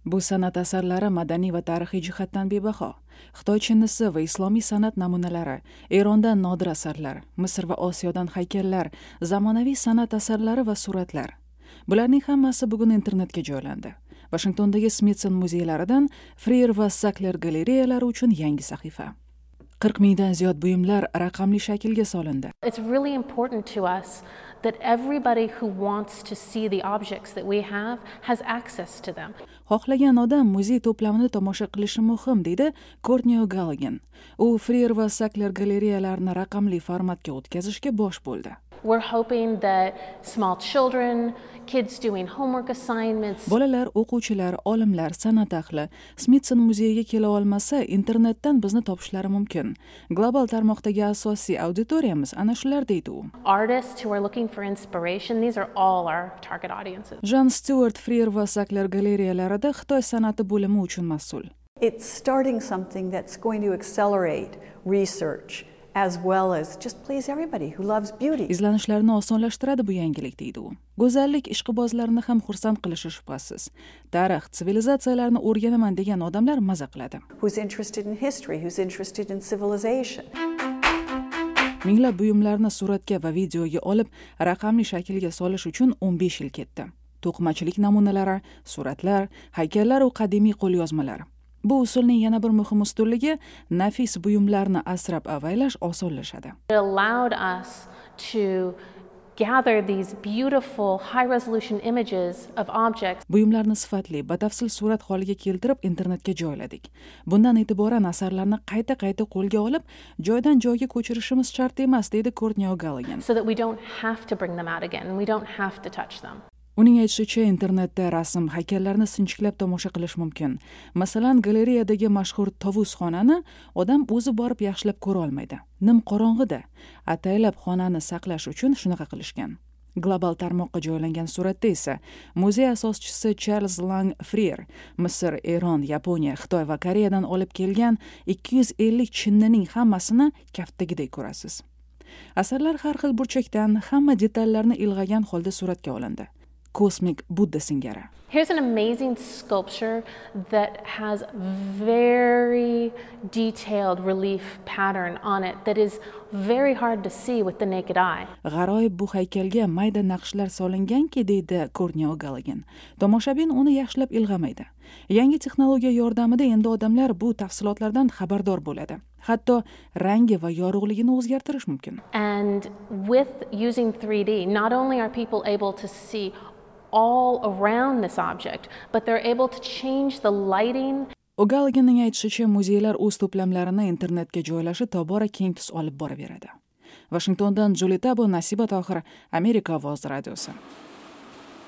Bu san'at asarlari madaniy va tarixiy jihatdan bebaho. Xitoy chinnisi va islomiy san'at namunalari, Erondan nodir asarlar, Misr va Osiyodan haykallar, zamonaviy san'at asarlari va suratlar. Bularning hammasi bugun internetga joylandi. Vashingtondagi Smithson muzeylaridan Freer va Sackler galereyalari uchun yangi sahifa. 40 mingdan ziyod buyumlar raqamli shaklga solindi. It's really important to us that everybody who wants to see the objects that we have has access to them. Xohlagan odam muzey to'plamini tomosha qilishi muhim, deydi Courtney O'Gallaghan. U Freer va Sackler galereyalarini raqamli formatga o'tkazishga bosh bo'ldi. We're hoping that small children, kids doing homework assignments, Bolalar, o'quvchilar, olimlar, san'at ahli Smithson muzeyiga kela olmasa, internetdan bizni topishlari mumkin. Global tarmoqdagi asosiy auditoriyamiz ana shular, deydi u. artists who are looking for inspiration, these are all our target audiences. Jan Stewart Freer va Sackler galereyalarida Xitoy san'ati bo'limi uchun mas'ul. It's starting something that's going to accelerate research as well as just please everybody who loves beauty. Izlanishlarni osonlashtiradi bu yangilik, deydi u. Go'zallik ishqibozlarini ham xursand qilishi shubhasiz. Tarix, sivilizatsiyalarni o'rganaman degan odamlar maza qiladi. Who's interested in history, who's interested in civilization. Minglab buyumlarni suratga va videoga olib, raqamli shaklga solish uchun 15 yil ketdi. To'qimachilik namunalari, suratlar, haykallar va qadimiy qo'lyozmalar. Bu usulning yana bir muhim ustunligi nafis buyumlarni asrab avaylash osonlashadi. It allowed us to gather these beautiful high resolution images of objects. Buyumlarni sifatli, batafsil surat holiga keltirib internetga joyladik. Bundan e'tiboran asarlarni qayta-qayta qo'lga olib, joydan joyga ko'chirishimiz shart emas, deydi Courtney O'Gallaghan. So that we don't have to bring them out again and we don't have to touch them. Uning aytishicha, internetda rasm, haykallarni sinchiklab tomosha qilish mumkin. Masalan, galereyadagi mashhur tovus xonani odam o'zi borib yaxshilab ko'ra olmaydi. Nim qorong'ida. Ataylab xonani saqlash uchun shunaqa qilishgan. Global tarmoqqa joylangan suratda esa muzey asoschisi Charles Lang Freer Misr, Eron, Yaponiya, Xitoy va Koreyadan olib kelgan 250 chinnining hammasini kaftdagidek ko'rasiz. Asarlar har xil burchakdan, hamma detallarni ilg'agan holda suratga olindi. Kosmik Budda singari. Here's an amazing sculpture that has very detailed relief pattern on it that is very hard to see with the naked eye. G'aroyib bu haykalga mayda naqshlar solinganki, deydi Courtney O'Gallaghan. Tomoshabin uni yaxshilab ilg'amaydi. Yangi texnologiya yordamida endi odamlar bu tafsilotlardan xabardor bo'ladi. Hatto rangi va yorug'ligini o'zgartirish mumkin. And with using 3D, not only are people able to see all around this object, but they're able to change the lighting. O'Gallaghanning aytishicha, muzeylar o'z to'plamlarini internetga joylashi tobora keng tus olib boraveradi. Vashingtondan Juli Tabo, Nasiba Tohir, Amerika ovozi radiosi.